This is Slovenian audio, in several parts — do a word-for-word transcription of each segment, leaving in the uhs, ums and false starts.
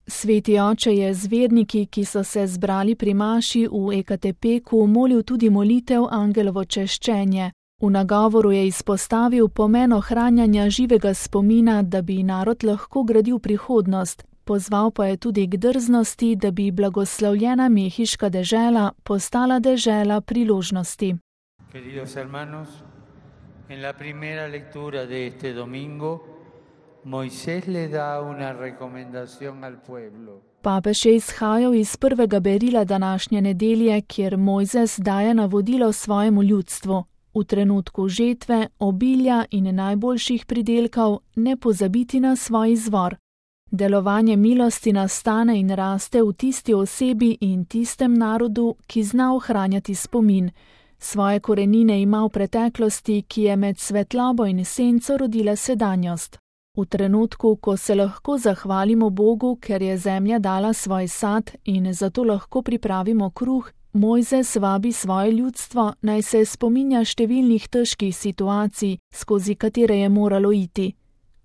Sveti oče je z verniki, ki so se zbrali pri maši v Ekatepeku, molil tudi molitev Angelovo češčenje. V nagovoru je izpostavil pomen ohranjanja živega spomina, da bi narod lahko gradil prihodnost. Pozval pa je tudi k drznosti, da bi blagoslovljena mehiška dežela postala dežela priložnosti. Queridos hermanos, en la primera lectura de este domingo, Moisés le da una recomendación al pueblo. Papež je izhajal iz prvega berila današnje nedelje, kjer Mojzes daje navodilo svojemu ljudstvu. V trenutku žetve, obilja in najboljših pridelkov ne pozabiti na svoj izvor. Delovanje milosti nastane in raste v tisti osebi in tistem narodu, ki zna ohranjati spomin. Svoje korenine ima v preteklosti, ki je med svetlobo in senco rodila sedanjost. V trenutku, ko se lahko zahvalimo Bogu, ker je zemlja dala svoj sad in zato lahko pripravimo kruh, Mojzes vabi svoje ljudstvo, naj se spominja številnih težkih situacij, skozi katere je moralo iti.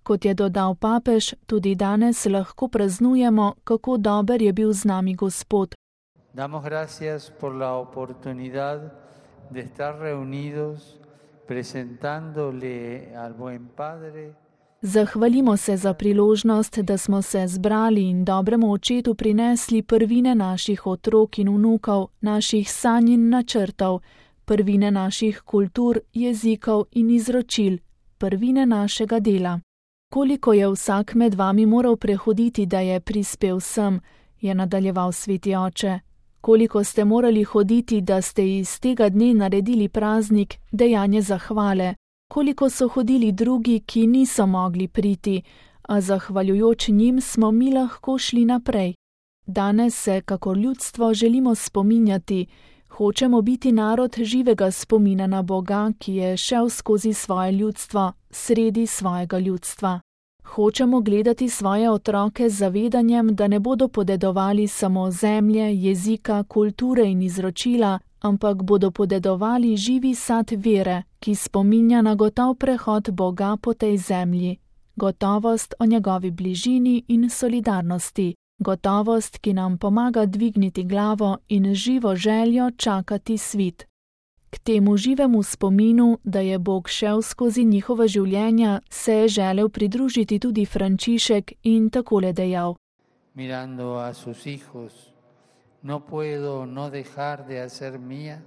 Kot je dodal papež, tudi danes lahko praznujemo, kako dober je bil z nami Gospod. Damos gracias por la oportunidad de estar reunidos presentándole al buen Padre. Zahvalimo se za priložnost, da smo se zbrali in dobremu očetu prinesli prvine naših otrok in vnukov, naših sanj in načrtov, prvine naših kultur, jezikov in izročil, prvine našega dela. Koliko je vsak med vami moral prehoditi, da je prispel sem, je nadaljeval sveti oče. Koliko ste morali hoditi, da ste iz tega dne naredili praznik, dejanje zahvale. Koliko so hodili drugi, ki niso mogli priti, a zahvaljujoč njim smo mi lahko šli naprej. Danes se, kakor ljudstvo, želimo spominjati. Hočemo biti narod živega spomina na Boga, ki je šel skozi svoje ljudstvo, sredi svojega ljudstva. Hočemo gledati svoje otroke z zavedanjem, da ne bodo podedovali samo zemlje, jezika, kulture in izročila, ampak bodo podedovali živi sad vere, ki spominja na gotov prehod Boga po tej zemlji, gotovost o njegovi bližini in solidarnosti, gotovost, ki nam pomaga dvigniti glavo in živo željo čakati svit. K temu živemu spominu, da je Bog šel skozi njihova življenja, se je želel pridružiti tudi Frančišek in takole dejal. Mirando a sus hijos, no puedo no dejar de hacer mía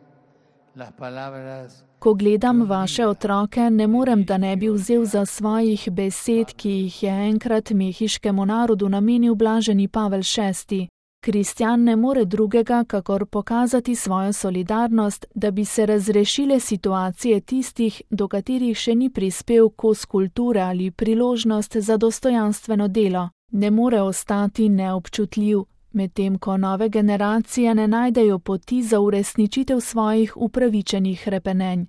las palabras. Ko gledam vaše otroke, ne morem, da ne bi vzel za svojih besed, ki jih je enkrat mehiškemu narodu namenil blaženi Pavel šesti. Kristjan ne more drugega, kakor pokazati svojo solidarnost, da bi se razrešile situacije tistih, do katerih še ni prispel kos kulture ali priložnost za dostojanstveno delo. Ne more ostati neobčutljiv, medtem ko nove generacije ne najdejo poti za uresničitev svojih upravičenih hrepenenj.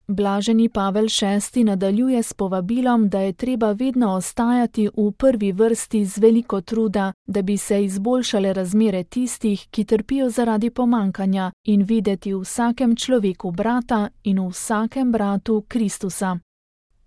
Blaženi Pavel šesti nadaljuje s povabilom, da je treba vedno ostajati v prvi vrsti z veliko truda, da bi se izboljšale razmere tistih, ki trpijo zaradi pomankanja, in videti v vsakem človeku brata in v vsakem bratu Kristusa.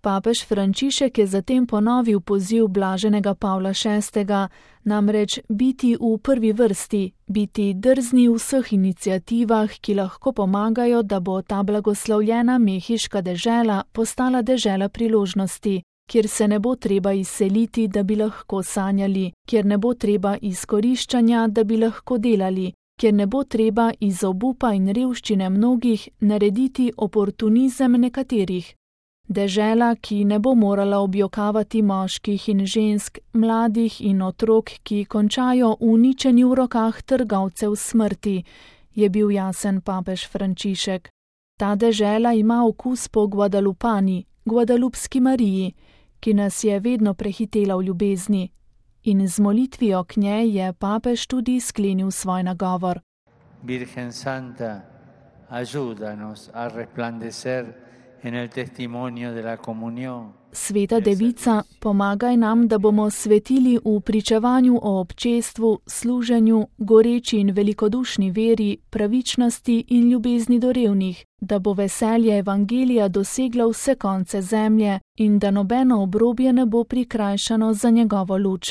Papež Frančišek je zatem ponovil poziv blaženega Pavla šestega, namreč biti v prvi vrsti, biti drzni v vseh iniciativah, ki lahko pomagajo, da bo ta blagoslovljena mehiška dežela postala dežela priložnosti, kjer se ne bo treba izseliti, da bi lahko sanjali, kjer ne bo treba izkoriščanja, da bi lahko delali, kjer ne bo treba iz obupa in revščine mnogih narediti oportunizem nekaterih. Dežela, ki ne bo morala objokavati moških in žensk, mladih in otrok, ki končajo uničeni v rokah trgovcev smrti, je bil jasen papež Frančišek. Ta dežela ima okus po Guadalupani, Guadalupski Mariji, ki nas je vedno prehitela v ljubezni. In z molitvijo k njej je papež tudi sklenil svoj nagovor. Virgen Santa, ayúdanos a resplandecer en el testimonio de la comunión. Sveta Devica, pomagaj nam, da bomo svetili v pričevanju o občestvu, služenju, goreči in velikodušni veri, pravičnosti in ljubezni do revnih, da bo veselje evangelija doseglo vse konce zemlje in da nobeno obrobje ne bo prikrajšano za njegovo luč.